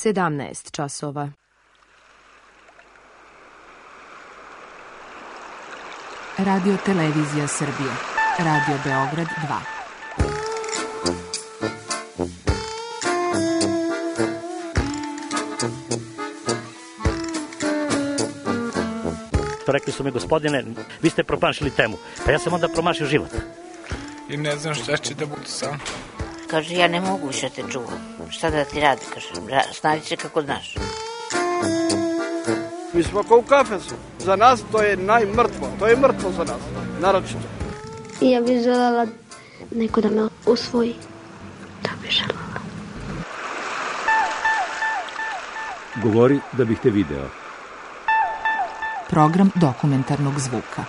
17 časova. Radio Televizija Srbije. Radio Beograd 2. Rekli su mi, gospodine, vi ste promašili temu. Pa ja sam onda promašio život. I ne znam šta će da bude sam. Kaže, ja ne mogu više te čuvam. Šta da ti radi, kaže, snađi se kako znaš. Mi smo kao u kafesu. Za nas to je najmrtvo. To je mrtvo za nas, naročito. Ja bih željela neko da me usvoji. To bih željela. Govori da bih te video. Program dokumentarnog zvuka.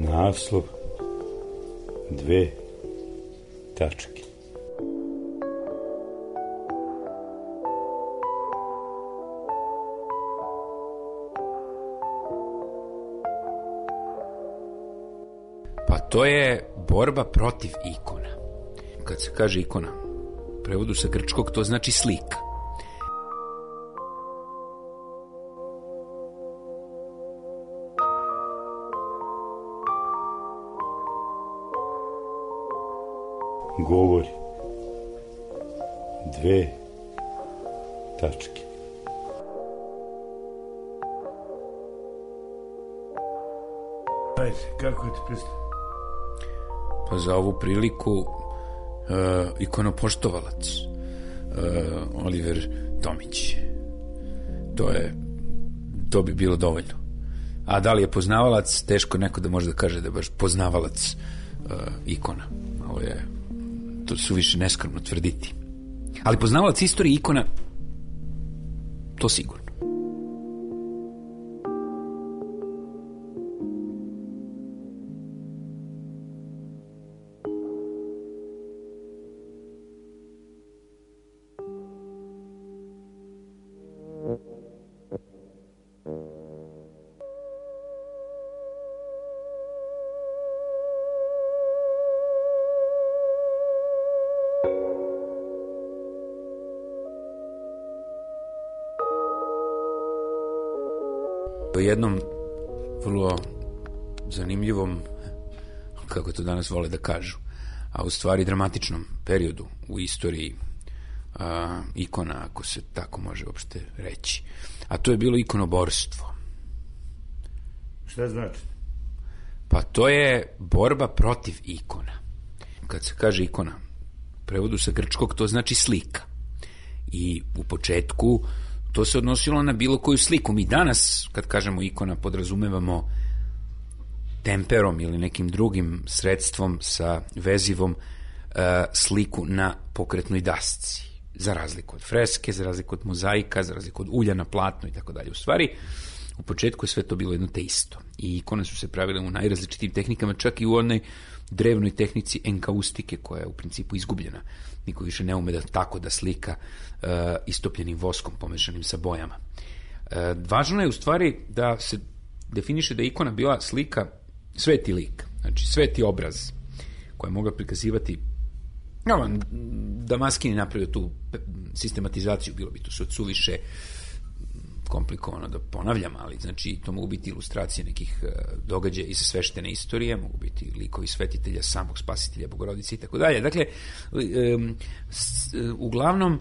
Naslov 2 tačke. Pa to je borba protiv ikona. Kad se kaže ikona, u prevodu sa grčkog to znači slika. Govori 2 tačke. Ajde, kako ti predstavlja? Pa za ovu priliku ikonopoštovalac Oliver Tomić. To bi bilo dovoljno. A da li je poznavalac, teško neko da može da kaže da je baš poznavalac ikona. Ovo je to suviše neskromno tvrditi. Ali poznavalac istorije ikona, to sigurno. O jednom vrlo zanimljivom, kako to danas vole da kažu, a u stvari dramatičnom periodu u istoriji ikona, ako se tako može uopšte reći. A to je bilo ikonoborstvo. Šta znači? Pa to je borba protiv ikona. Kad se kaže ikona, u prevodu sa grčkog to znači slika. I u početku to se odnosilo na bilo koju sliku. Mi danas, kad kažemo ikona, podrazumevamo temperom ili nekim drugim sredstvom sa vezivom sliku na pokretnoj dasci. Za razliku od freske, za razliku od mozaika, za razliku od ulja na platnu i tako dalje. U stvari, u početku je sve to bilo jedno te isto. I ikone su se pravile u najrazličitim tehnikama, čak i u onoj drevnoj tehnici enkaustike, koja je u principu izgubljena. Niko više ne ume da tako da slika istopljenim voskom pomešanim sa bojama. Važno je u stvari da se definiše da je ikona bila slika, sveti lik, znači sveti obraz koja je mogla prikazivati. Damaskini napravio tu sistematizaciju, bilo bi to suviše komplikovano da ponavljam, ali znači to mogu biti ilustracije nekih događaja iz sveštene istorije, mogu biti likovi svetitelja, samog spasitelja, Bogorodice i tako dalje. Dakle, uglavnom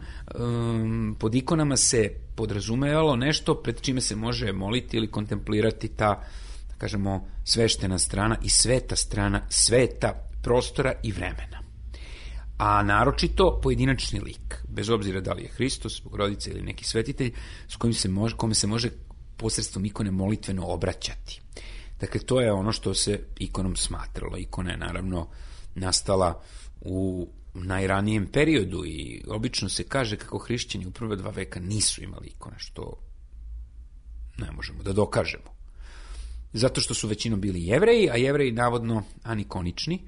pod ikonama se podrazumevalo nešto pred čime se može moliti ili kontemplirati ta, da kažemo, sveštena strana i sveta strana sveta, prostora i vremena. A naročito pojedinačni lik, bez obzira da li je Hristos, Bogorodica ili neki svetitelj, s kome se može posredstvom ikone molitveno obraćati. Dakle, to je ono što se ikonom smatralo. Ikona je naravno nastala u najranijem periodu i obično se kaže kako hrišćani u prve 2 veka nisu imali ikone, što ne možemo da dokažemo. Zato što su većinom bili Jevreji, a Jevreji navodno anikonični,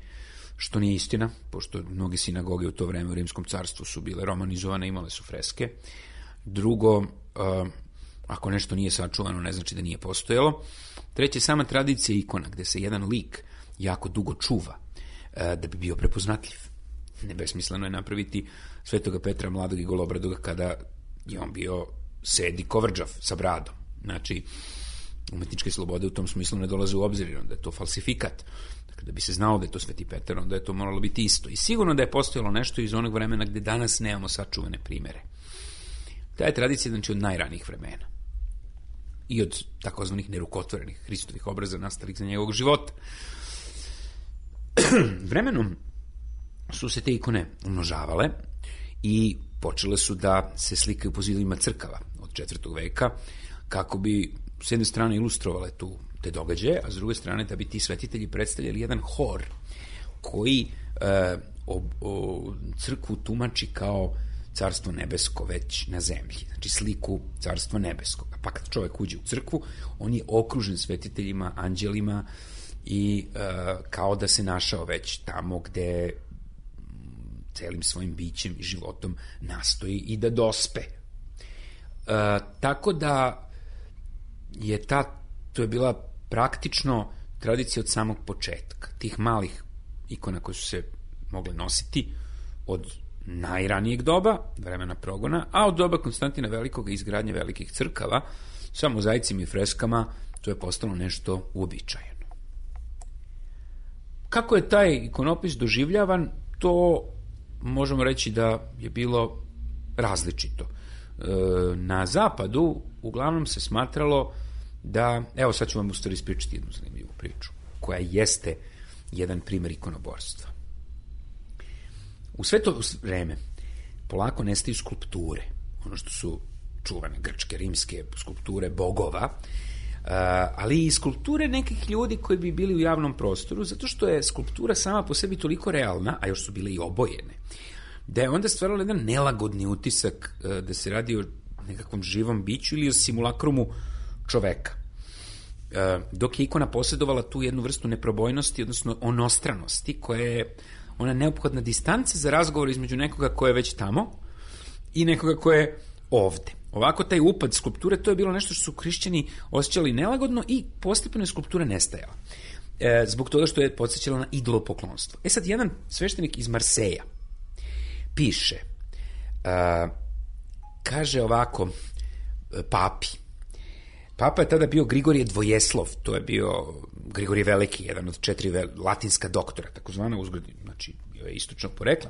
što nije istina, pošto mnoge sinagoge u to vreme u Rimskom carstvu su bile romanizovane, imale su freske. Drugo, ako nešto nije sačuvano, ne znači da nije postojalo. Treće, sama tradicija ikona, gde se jedan lik jako dugo čuva da bi bio prepoznatljiv. Nebesmisleno je napraviti Svetoga Petra mladog i golobradoga kada je on bio sedi kovrđav sa bradom. Znači, umetničke slobode u tom smislu ne dolaze u obzir, onda je to falsifikat. Dakle, da bi se znalo da je to Sveti Petar, onda je to moralo biti isto. I sigurno da je postojalo nešto iz onog vremena gde danas nemamo sačuvane primere. Ta je tradicija, znači, od najranijih vremena. I od takozvanih nerukotvorenih Hristovih obraza nastalih za njegovog života. Vremenom su se te ikone umnožavale i počele su da se slikaju po zidovima crkava od 4. veka, kako bi s jedne strane ilustrovale te događaje, a s druge strane da bi ti svetitelji predstavljali jedan hor koji crkvu tumači kao carstvo nebesko već na zemlji, znači sliku carstva nebeskog. Pa kad čovjek uđe u crkvu, on je okružen svetiteljima, anđelima i kao da se našao već tamo gde celim svojim bićem i životom nastoji i da dospe. Tako da je to je bila praktično tradicija od samog početka. Tih malih ikona koje su se mogle nositi od najranijeg doba, vremena progona, a od doba Konstantina Velikog i izgradnje velikih crkava, sa mozaicima i freskama, to je postalo nešto uobičajeno. Kako je taj ikonopis doživljavan, to možemo reći da je bilo različito. Na zapadu uglavnom se smatralo da, evo sad ću vam u stvari ispričati jednu zanimljivu priču, koja jeste jedan primer ikonoborstva. U sve to vreme polako nestaju skulpture, ono što su čuvane grčke, rimske skulpture bogova, ali i skulpture nekih ljudi koji bi bili u javnom prostoru, zato što je skulptura sama po sebi toliko realna, a još su bile i obojene, da je onda stvaralo jedan nelagodni utisak da se radi o nekakvom živom biću ili o simulakrumu čoveka. Dok je ikona posjedovala tu jednu vrstu neprobojnosti, odnosno onostranosti, koja je ona neophodna distanca za razgovor između nekoga ko je već tamo i nekoga ko je ovde. Ovako taj upad skulpture, to je bilo nešto što su hrišćani osjećali nelagodno i postepeno je skulptura nestajala. Zbog toga što je podsjećala na idolopoklonstvo. Sad, jedan sveštenik iz Marseja piše, kaže ovako papi. Papa je tada bio Grigorije Dvojeslov, to je bio Grigorije Veliki, jedan od 4 latinska doktora, takozvana uzgled, znači bio je istočnog porekla,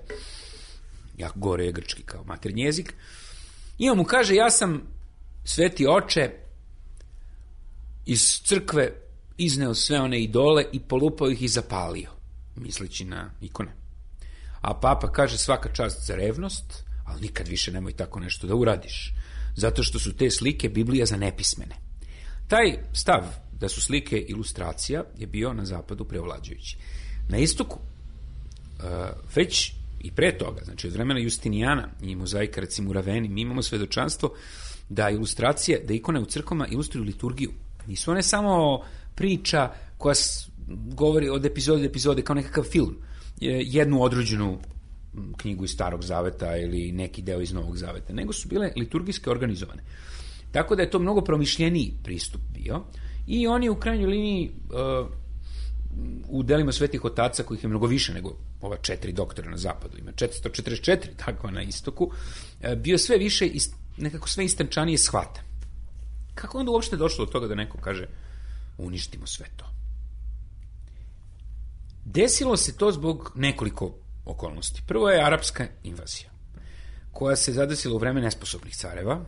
jako gore je grčki kao maternji jezik, i on mu kaže, ja sam, sveti oče, iz crkve izneo sve one idole i polupao ih i zapalio, misleći na ikone. A papa kaže, svaka čast za revnost, ali nikad više nemoj tako nešto da uradiš, zato što su te slike Biblija za nepismene. Taj stav da su slike ilustracija je bio na zapadu preovlađujući. Na istoku, već i pre toga, znači od vremena Justinijana i mozaika, recimo u Raveni, mi imamo svedočanstvo da ilustracije, da ikone u crkvama ilustruju liturgiju. Nisu one samo priča koja govori od epizode do epizode kao nekakav film, jednu određenu knjigu iz Starog zaveta ili neki deo iz Novog zaveta, nego su bile liturgijske organizovane. Tako da je to mnogo promišljeniji pristup bio i on je u krajnjoj liniji u delima svetih otaca, kojih je mnogo više nego ova 4 doktora na zapadu, ima 444 takva na istoku, bio sve više i nekako sve istančanije shvata. Kako onda uopšte došlo do toga da neko kaže uništimo sve to? Desilo se to zbog nekoliko okolnosti. Prvo je arapska invazija, koja se zadesila u vreme nesposobnih careva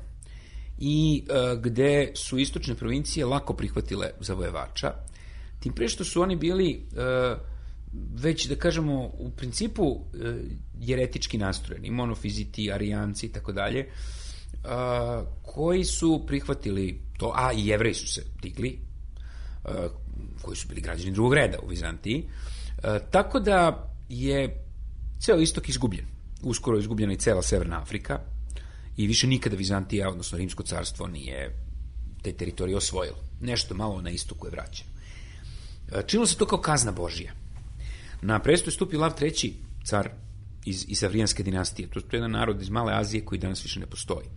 i gde su istočne provincije lako prihvatile zavojevača, tim pre što su oni bili već, da kažemo, u principu jeretički nastrojeni, monofiziti, arijanci i tako dalje, koji su prihvatili to, a i Jevreji su se digli, koji su bili građani drugog reda u Vizantiji, tako da je Ceo istok izgubljen. Uskoro je izgubljena i cela Severna Afrika i više nikada Vizantija, odnosno Rimsko carstvo, nije te teritorije osvojilo. Nešto malo na istoku je vraćeno. Činilo se to kao kazna Božija. Na presto je stupio Lav III, car iz Savrijanske dinastije. To je jedan narod iz Male Azije koji danas više ne postoji.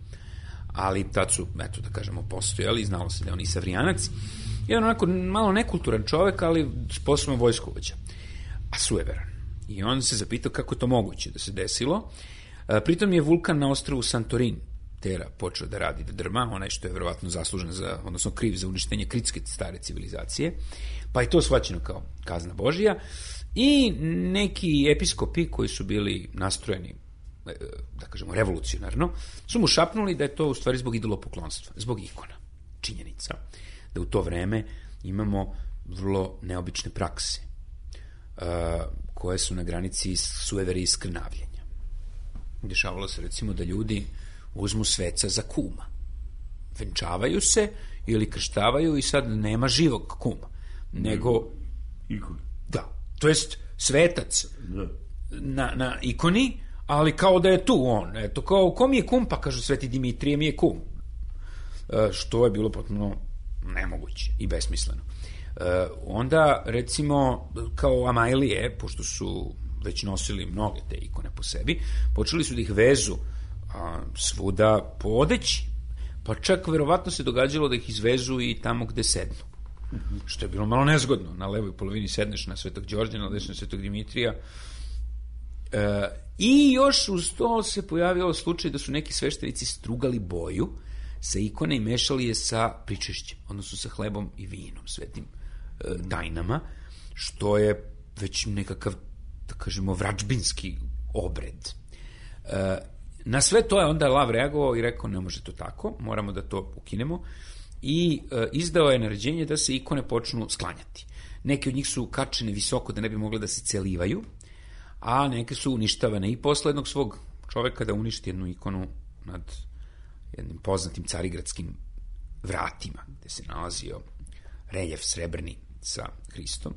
Ali tad su, eto da kažemo, postojali, znalo se da je on i Savrijanac. Jedan onako malo nekulturan čovek, ali sposoban vojskovođa. A sujeveran. I on se zapitao kako je to moguće da se desilo. Pritom je vulkan na ostrvu Santorin Tera počeo da radi, da drma, onaj što je verovatno zaslužen za, odnosno kriv za uništenje kritske stare civilizacije, pa je to shvaćeno kao kazna Božija i neki episkopi koji su bili nastrojeni, da kažemo, revolucionarno, su mu šapnuli da je to u stvari zbog idolopoklonstva, zbog ikona. Činjenica da u to vreme imamo vrlo neobične prakse koje su na granici sujevere i skrnavljenja. Dešavalo se recimo da ljudi uzmu sveca za kuma. Venčavaju se ili krštavaju i sad nema živog kuma, nego ikon. Da, to jest svetac na ikoni, ali kao da je tu on. Eto, kao, ko mi je kum? Pa kažu, Sveti Dimitrije mi je kum. Što je bilo potpuno nemoguće i besmisleno. Onda, recimo, kao Amajlije, pošto su već nosili mnoge te ikone po sebi, počeli su da ih vezu svuda po odeći. Pa čak verovatno se događalo da ih izvezu i tamo gde sednu. Što je bilo malo nezgodno. Na levoj polovini sedneš na Svetog Đorđa, na desnoj Svetog Dimitrija. I još uz to se pojavio slučaj da su neki sveštenici strugali boju sa ikone i mešali je sa pričešćem, odnosno sa hlebom i vinom, svetim dajnama, što je već nekakav, da kažemo, vračbinski obred. Na sve to je onda Lav reagovao i rekao, ne može to tako, moramo da to ukinemo, i izdao je naređenje da se ikone počnu sklanjati. Neke od njih su kačene visoko da ne bi mogle da se celivaju, a neke su uništavane i posle jednog svog čoveka da uništi jednu ikonu nad jednim poznatim carigradskim vratima, gde se nalazio reljef srebrni sa Hristom.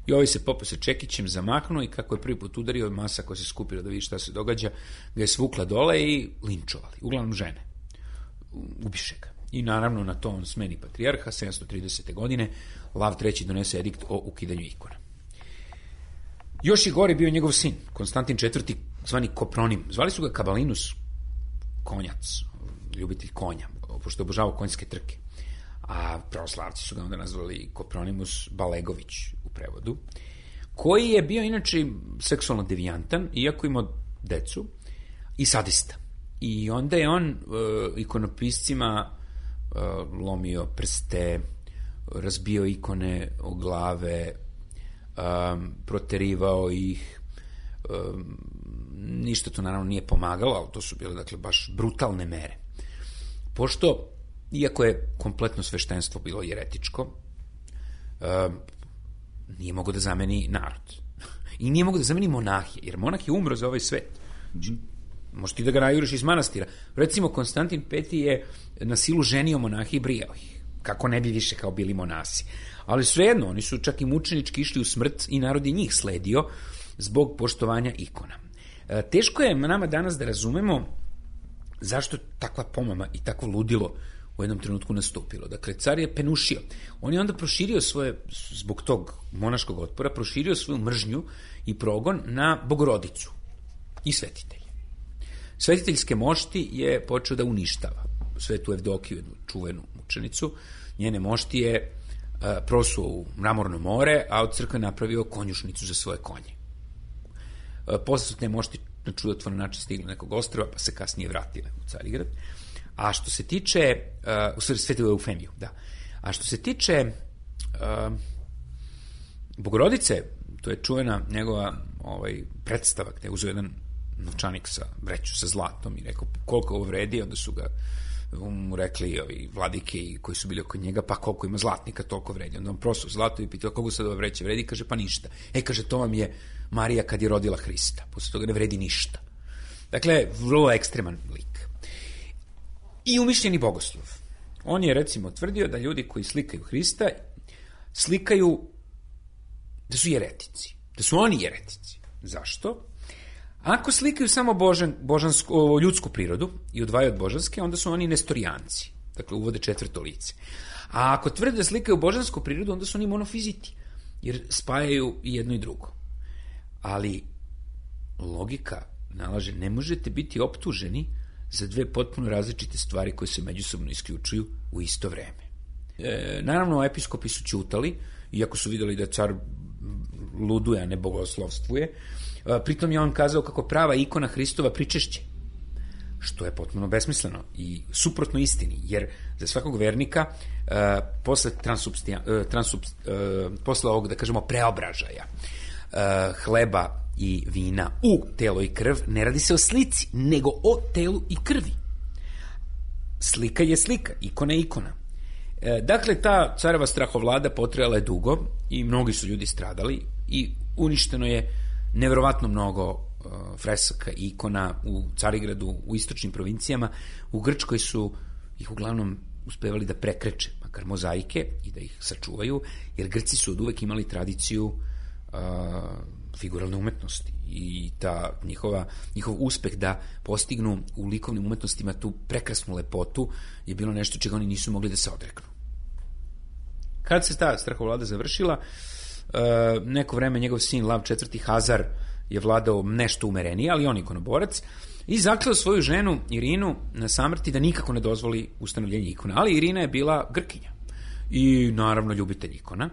I ovaj se popeo sa čekićem, zamaknuo i kako je prvi put udario, masa koja se skupila da vidi šta se događa, ga je svukla dole i linčovali, uglavnom žene. Ubiše ga. I naravno na to on smeni patrijarha, 730. godine, Lav III donese edikt o ukidanju ikona. Još je gore bio njegov sin, Konstantin IV, zvani Kopronim. Zvali su ga Kabalinus, konjac, ljubitelj konja, pošto je obožavao konjske trke. A pravoslavci su ga onda nazvali Kopronimus Balegović u prevodu, koji je bio inače seksualno devijantan, iako imao decu, i sadista. I onda je on ikonopiscima lomio prste, razbio ikone o glave, proterivao ih, ništa to naravno nije pomagalo, ali to su bile, dakle, baš brutalne mere. Pošto, iako je kompletno sveštenstvo bilo jeretičko, nije mogo da zameni narod. I nije mogo da zameni monahije, jer monah je umro za ovaj svet. Možeš ti da ga najuriš iz manastira. Recimo, Konstantin V je na silu ženio monahe i brijao ih. Kako ne bi više kao bili monasi. Ali svejedno, oni su čak i mučenički išli u smrt i narod je njih sledio zbog poštovanja ikona. Teško je nama danas da razumemo zašto takva pomama i takvo ludilo u jednom trenutku nastupilo. Dakle, car je penušio. On je onda proširio svoje, zbog tog monaškog otpora, proširio svoju mržnju i progon na Bogorodicu i svetitelje. Svetiteljske mošti je počeo da uništava. Svetu Evdokiju, jednu čuvenu mučenicu, njene mošti je prosuo u mramorno more, a od crkve napravio konjušnicu za svoje konje. Posle su te mošti na čudotvoran način stigli nekog ostrva, pa se kasnije vratile u Carigrad. A što se tiče, u stvari Svetu Eufemiju, da. A što se tiče Bogorodice, to je čuvena njegova predstava, gde je uzeo jedan novčanik sa vreću sa zlatom i rekao koliko ovo vredi, onda su ga mu rekli ovi vladike koji su bili oko njega, pa koliko ima zlatnika, toliko vredi. Onda on prosto zlato i pitao koliko sad ova vreća vredi, kaže pa ništa. Kaže, to vam je Marija kad je rodila Hrista, posle toga ne vredi ništa. Dakle, vrlo ekstreman lik. I umišljeni bogoslov. On je recimo tvrdio da ljudi koji slikaju Hrista slikaju da su jeretici, da su oni jeretici. Zašto? Ako slikaju samo ljudsku prirodu i odvajaju od božanske, onda su oni nestorijanci. Dakle, uvode četvrto lice. A ako tvrde da slikaju božansku prirodu, onda su oni monofiziti, jer spajaju i jedno i drugo. Ali logika nalaže, ne možete biti optuženi za dve potpuno različite stvari koje se međusobno isključuju u isto vreme. Naravno, episkopi su ćutali, iako su videli da car luduje, a ne bogoslovstvuje. Pritom je on kazao kako prava ikona Hristova pričešće, što je potpuno besmisleno i suprotno istini, jer za svakog vernika posle ovog, da kažemo, preobražaja hleba i vina u telo i krv, ne radi se o slici, nego o telu i krvi. Slika je slika, ikona je ikona. Dakle, ta careva strahovlada potrajala je dugo i mnogi su ljudi stradali i uništeno je neverovatno mnogo fresaka i ikona u Carigradu, u istočnim provincijama. U Grčkoj su ih uglavnom uspevali da prekreče, makar mozaike, i da ih sačuvaju, jer Grci su od uvek imali tradiciju figuralne umetnosti i ta njihov uspeh da postignu u likovnim umetnostima tu prekrasnu lepotu je bilo nešto čega oni nisu mogli da se odreknu. Kad se ta strahovlada završila, neko vreme njegov sin Lav IV. Hazar je vladao nešto umerenije, ali on ikonoborac, i zakleo svoju ženu Irinu na samrti da nikako ne dozvoli ustanovljenje ikona. Ali Irina je bila Grkinja i naravno ljubitelj ikona.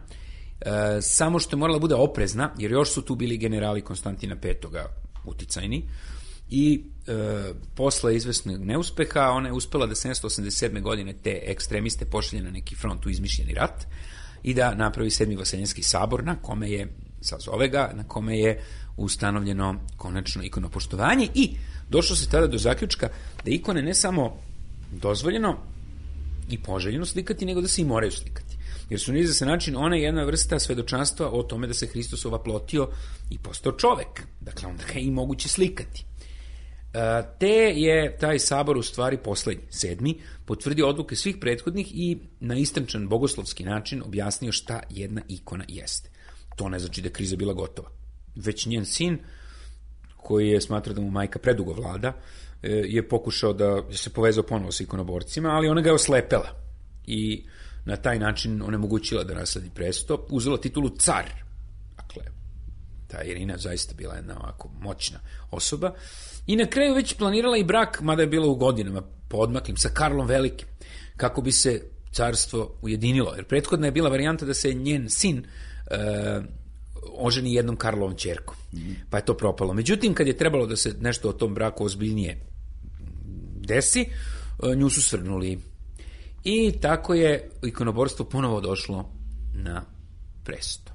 Samo što je morala bude oprezna, jer još su tu bili generali Konstantina V. uticajni, i posle izvesnog neuspeha ona je uspela da 787. godine te ekstremiste pošalje na neki front u izmišljeni rat i da napravi 7. Vaseljenski sabor, na kome je, sazove ga, na kome je ustanovljeno konačno ikonopoštovanje, i došlo se tada do zaključka da ikone ne samo dozvoljeno i poželjeno slikati, nego da se i moraju slikati. Jer su na izvestan način ona je jedna vrsta svedočanstva o tome da se Hristos ovaplotio i postao čovek. Dakle, onda ga je i moguće slikati. Te je taj sabor u stvari poslednji, 7. potvrdio odluke svih prethodnih i na istančan bogoslovski način objasnio šta jedna ikona jeste. To ne znači da je kriza bila gotova. Već njen sin, koji je smatrao da mu majka predugo vlada, je pokušao da se povezao ponovo sa ikonoborcima, ali ona ga je oslepela i na taj način onemogućila da nasledi presto, uzela titulu car. Dakle, ta Irina zaista bila jedna ovako moćna osoba i na kraju već planirala i brak, mada je bila u godinama poodmaklim, sa Karlom Velikim, kako bi se carstvo ujedinilo. Jer prethodna je bila varijanta da se njen sin oženi jednom Karlovom ćerkom, pa je to propalo. Međutim, kad je trebalo da se nešto o tom braku ozbiljnije desi, nju su svrgnuli. I tako je ikonoborstvo ponovo došlo na presto.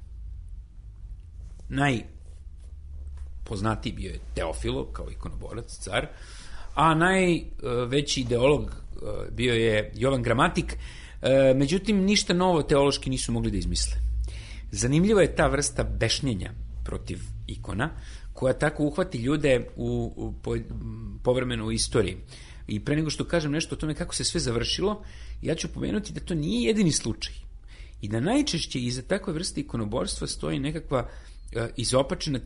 Najpoznatiji bio je Teofilo kao ikonoborac, car, a najveći ideolog bio je Jovan Gramatik. Međutim, ništa novo teološki nisu mogli da izmisle. Zanimljiva je ta vrsta bešnjenja protiv ikona, koja tako uhvati ljude povremeno u istoriji. I pre nego što kažem nešto o tome kako se sve završilo, ja ću pomenuti da to nije jedini slučaj. I da najčešće iza takve vrste ikonoborstva stoji nekakva izopačena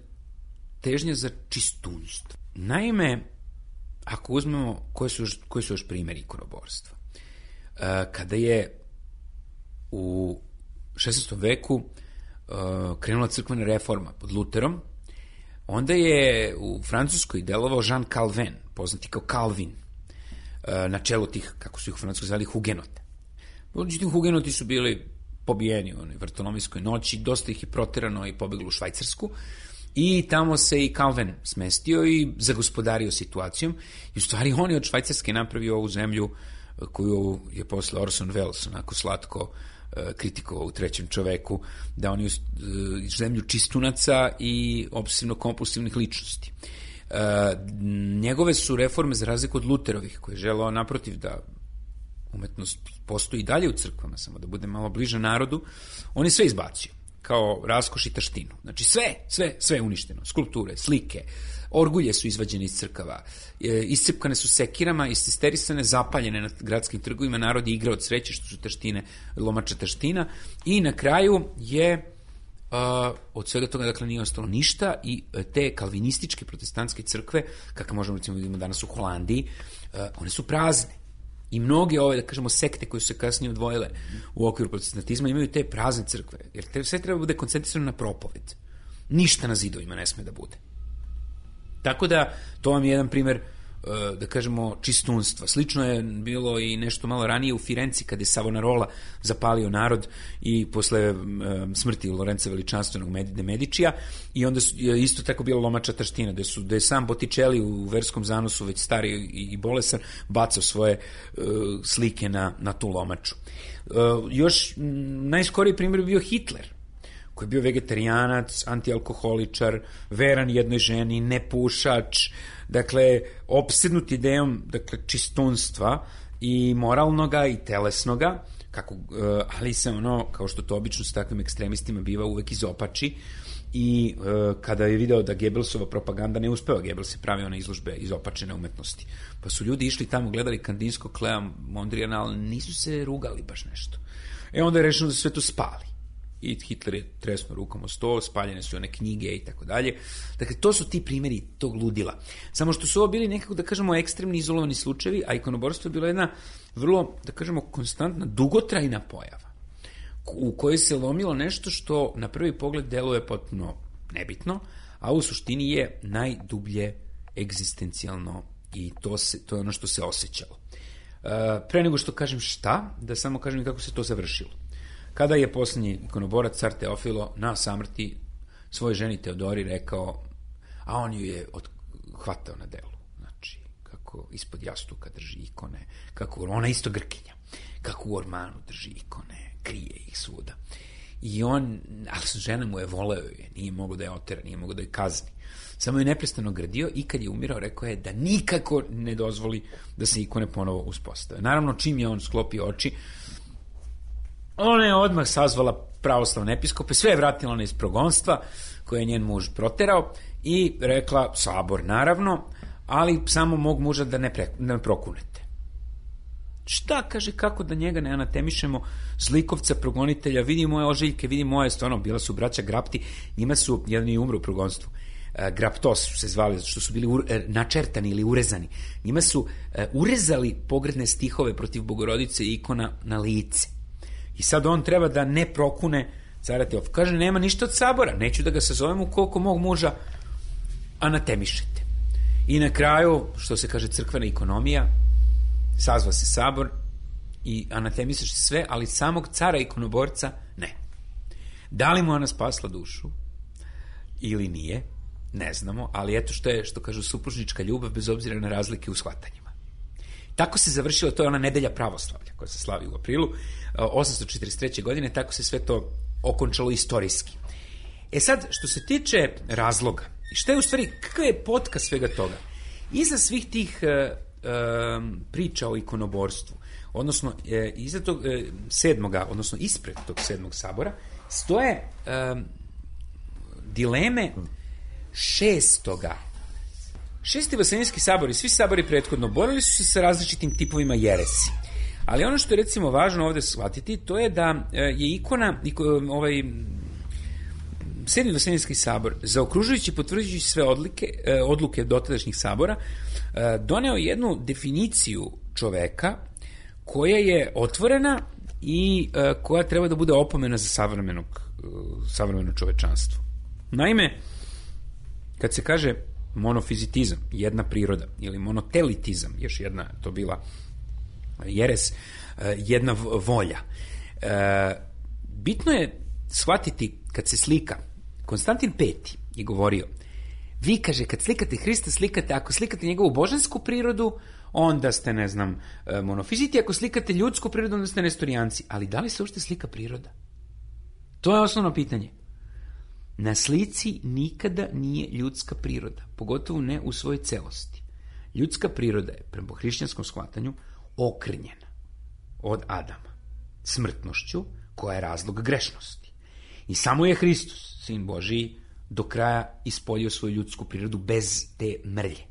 težnja za čistunstvo. Naime, ako uzmemo koji su još primjeri ikonoborstva. Kada je u 16. veku krenula crkvena reforma pod Luterom, onda je u Francuskoj delovao Jean Calvin, poznati kao Calvin, na čelu tih, kako su ih u Francuskoj zvali, hugenota. Međutim, hugenoti su bili pobijeni u onoj vrtonomijskoj noći, dosta ih je proterano i pobeglo u Švajcarsku, i tamo se i Calvin smestio i zagospodario situacijom, i u stvari on je od Švajcarske napravio ovu zemlju koju je posle Orson Welles onako slatko kritikovao u Trećem čoveku, da on je zemlju čistunaca i obsesivno-kompulsivnih ličnosti. Njegove su reforme, za razliku od Luterovih, koji je želeo naprotiv da umetnost postoji dalje u crkvama, samo da bude malo bliže narodu, on je sve izbacio, kao raskoš i taštinu. Znači sve je uništeno. Skulpture, slike, orgulje su izvađene iz crkava, iscepkane su sekirama, ististerisane, zapaljene na gradskim trgovima, narod je igrao od sreće što su taštine, lomača taština, i na kraju je od svega toga, dakle, nije ostalo ništa i te kalvinističke protestantske crkve, kako možemo recimo vidimo danas u Holandiji, one su prazne. I mnoge ove, da kažemo, sekte koje su se kasnije odvojile u okviru protestantizma imaju te prazne crkve, jer sve treba bude koncentrisano na propoved. Ništa na zidovima ne sme da bude. Tako da, to vam je jedan primer, da kažemo, čistunstva. Slično je bilo i nešto malo ranije u Firenci, kada je Savonarola zapalio narod i posle smrti Lorenza Veličanstvenog de Medičija, i onda je isto tako bila lomača taština, da je sam Botticelli u verskom zanosu, već stari i bolesan, bacao svoje slike na tu lomaču. Još najskoriji primjer je bio Hitler, koji je bio vegetarijanac, antialkoholičar, veran jednoj ženi, nepušač, dakle, opsednut idejom, dakle, čistunstva i moralnoga i telesnoga, ali se ono, kao što to obično s takvim ekstremistima biva, uvek izopači, i kada je video da Gebelsova propaganda ne uspeva, Gebels je pravio na izložbe izopačene umetnosti, pa su ljudi išli tamo, gledali Kandinskog, Klea, Mondrijana, ali nisu se rugali baš nešto. Onda je rešeno da sve to spali. I Hitler je tresnuo rukom o sto, spaljene su one knjige i tako dalje. Dakle, to su ti primjeri tog ludila. Samo što su ovo bili nekako, da kažemo, ekstremni izolowani slučajevi, a ikonoborstvo je bila jedna vrlo, da kažemo, konstantna, dugotrajna pojava, u kojoj se lomilo nešto što na prvi pogled deluje potpuno nebitno, a u suštini je najdublje egzistencijalno, i to je ono što se osjećalo. Pre nego što kažem šta, da samo kažem kako se to završilo. Kada je posljednji ikonoborac, car Teofilo, na samrti svojoj ženi Teodori rekao, a on ju je hvatao na delu, znači, kako ispod jastuka drži ikone, kako ona isto Grkinja, kako u ormanu drži ikone, krije ih svuda. I on, ali žena mu je voleo je, nije mogo da je otera, nije mogo da je kazni. Samo je neprestano gradio i kad je umirao, rekao je da nikako ne dozvoli da se ikone ponovo uspostave. Naravno, čim je on sklopio oči, ona je odmah sazvala pravoslavne episkope, sve je vratila na iz progonstva koje je njen muž proterao i rekla, sabor naravno, ali samo mog muža da ne prokunete. Šta, kaže, kako da njega ne anatemišemo, zlikovca, progonitelja, vidi moje ožiljke, vidi moje, stvarno, bila su braća Grapti, njima su, jedan je umro u progonstvu, Graptos su se zvali, što su bili načertani ili urezani. Njima su urezali pogrdne stihove protiv Bogorodice i ikona na lice. I sad on treba da ne prokune cara Teofila. Kaže, nema ništa od sabora, neću da ga sazovem ukoliko mog muža anatemišete. I na kraju, što se kaže crkvena ekonomija, sazva se sabor i anatemisaš sve, ali samog cara ikonoborca ne. Da li mu ona spasla dušu ili nije, ne znamo, ali eto što kažu supružnička ljubav bez obzira na razlike u shvatanjima. Tako se završilo, to je ona nedelja pravoslavlja koja se slavi u aprilu 843. godine, tako se sve to okončalo istorijski. Sad, što se tiče razloga, šta je u stvari, kakav je potka svega toga? Iza svih tih priča o ikonoborstvu, odnosno iza tog sedmoga, odnosno ispred tog sedmog sabora, stoje dileme šestoga. Šesti Vaseljenski sabor i svi sabori prethodno borili su se sa različitim tipovima jeresi. Ali ono što je recimo važno ovde shvatiti, to je da je ikona, Sedmi Vaseljenski sabor, zaokružujući i potvrđujući sve odluke dotadašnjih sabora, doneo jednu definiciju čoveka koja je otvorena i koja treba da bude opomena za savremeno čovečanstvo. Naime, kad se kaže monofizitizam, jedna priroda, ili monotelitizam, još jedna to bila jeres, jedna volja. Bitno je shvatiti kad se slika, Konstantin V je govorio, vi, kaže, kad slikate Hrista, ako slikate njegovu božansku prirodu, onda ste, ne znam, monofiziti, ako slikate ljudsku prirodu, onda ste nestorijanci. Ali da li se uopšte slika priroda? To je osnovno pitanje. Na slici nikada nije ljudska priroda, pogotovo ne u svojoj celosti. Ljudska priroda je, prema hrišćanskom shvatanju, okrnjena od Adama smrtnošću, koja je razlog grešnosti. I samo je Hristos, Sin Božiji, do kraja ispoljio svoju ljudsku prirodu bez te mrlje.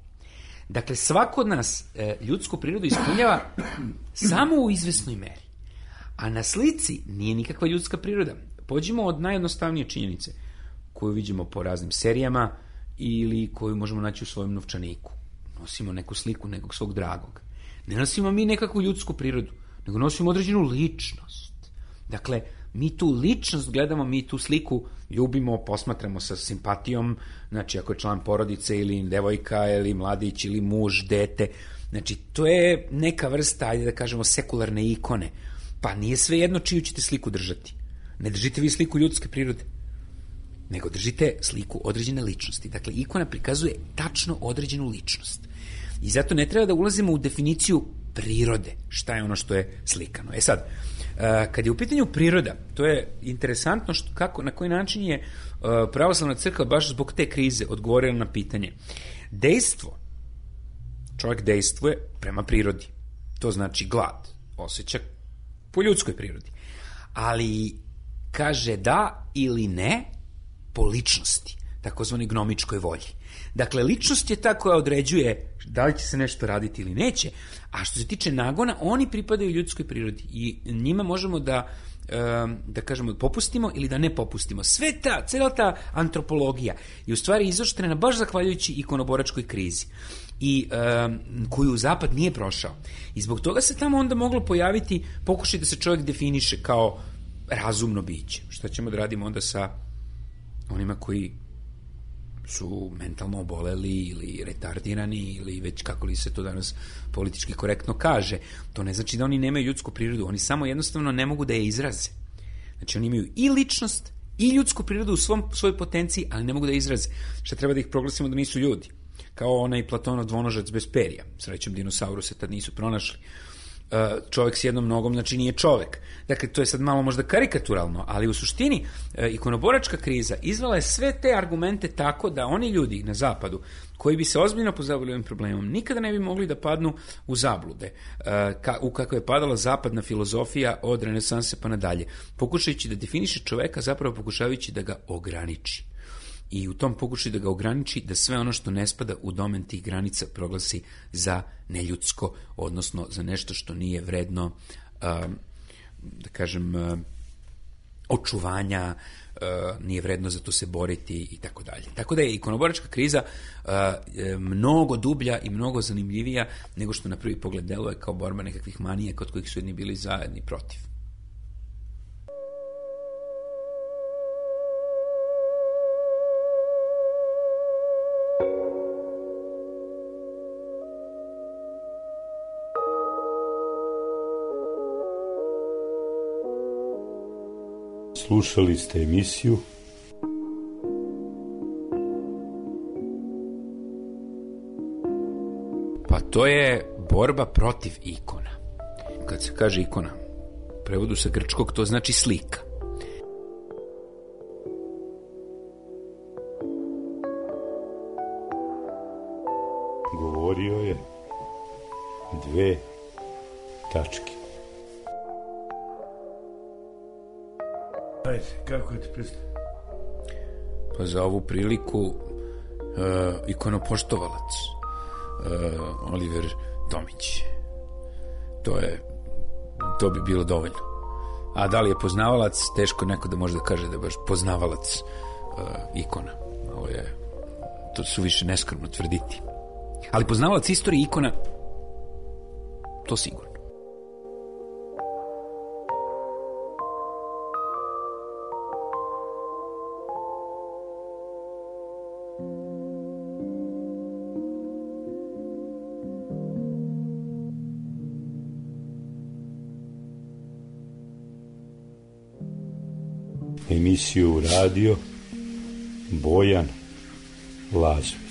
Dakle, svako od nas ljudsku prirodu ispunjava samo u izvesnoj meri. A na slici nije nikakva ljudska priroda. Pođimo od najjednostavnije činjenice koju vidimo po raznim serijama ili koju možemo naći u svojem novčaniku. Nosimo neku sliku nekog svog dragog. Ne nosimo mi nekakvu ljudsku prirodu, nego nosimo određenu ličnost. Dakle, mi tu ličnost gledamo, mi tu sliku ljubimo, posmatramo sa simpatijom, znači ako je član porodice ili devojka ili mladić ili muž, dete, znači to je neka vrsta, ajde da kažemo, sekularne ikone. Pa nije svejedno čiju ćete sliku držati. Ne držite vi sliku ljudske prirode, nego držite sliku određene ličnosti. Dakle, ikona prikazuje tačno određenu ličnost. I zato ne treba da ulazimo u definiciju prirode, šta je ono što je slikano. E sad, kad je u pitanju priroda, to je interesantno na koji način je pravoslavna crkva baš zbog te krize odgovorila na pitanje. Dejstvo, čovjek dejstvuje prema prirodi. To znači glad, osjeća po ljudskoj prirodi. Ali kaže da ili ne po ličnosti, takozvani gnomičkoj volji. Dakle, ličnost je ta koja određuje da li će se nešto raditi ili neće, a što se tiče nagona, oni pripadaju ljudskoj prirodi i njima možemo da kažemo popustimo ili da ne popustimo. Cela ta antropologija je u stvari izoštrena baš zahvaljujući ikonoboračkoj krizi i koju Zapad nije prošao. I zbog toga se tamo onda moglo pojaviti pokušaj da se čovjek definiše kao razumno biće. Šta ćemo da radimo onda sa onima koji su mentalno oboleli ili retardirani ili već kako li se to danas politički korektno kaže. To ne znači da oni nemaju ljudsku prirodu, oni samo jednostavno ne mogu da je izraze. Znači oni imaju i ličnost i ljudsku prirodu u svojoj potenciji, ali ne mogu da je izraze. Šta treba da ih proglasimo da nisu ljudi? Kao onaj Platonov dvonožac bez perja. Srećom dinosauruse tad nisu pronašli. Čovjek s jednom nogom, znači nije čovjek. Dakle, to je sad malo možda karikaturalno, ali u suštini ikonoboračka kriza izvala je sve te argumente tako da oni ljudi na zapadu koji bi se ozbiljno pozabavili ovim problemom nikada ne bi mogli da padnu u zablude u kako je padala zapadna filozofija od renesanse pa nadalje, pokušajući da definiše čoveka, zapravo pokušavajući da ga ograniči. I u tom pokušaju da ga ograniči, da sve ono što ne spada u domen tih granica proglasi za neljudsko, odnosno za nešto što nije vredno, da kažem, očuvanja, nije vredno za to se boriti i tako dalje. Tako da je ikonoboračka kriza mnogo dublja i mnogo zanimljivija nego što na prvi pogled deluje kao borba nekakvih manija kod kojih su jedni bili zajedni protiv. Slušali ste emisiju Pa to je borba protiv ikona. Kad se kaže ikona, u prevodu sa grčkog to znači slika. Govorio je 2 tačke. Ajde, kako ti predstavljam? Pa za ovu priliku ikonopoštovalac Oliver Tomić. To bi bilo dovoljno. A da li je poznavalac, teško neko da može da kaže da je baš poznavalac ikona. To su više neskromno tvrditi. Ali poznavalac istorije ikona, to sigurno. Emisiju radio Bojan Lazović.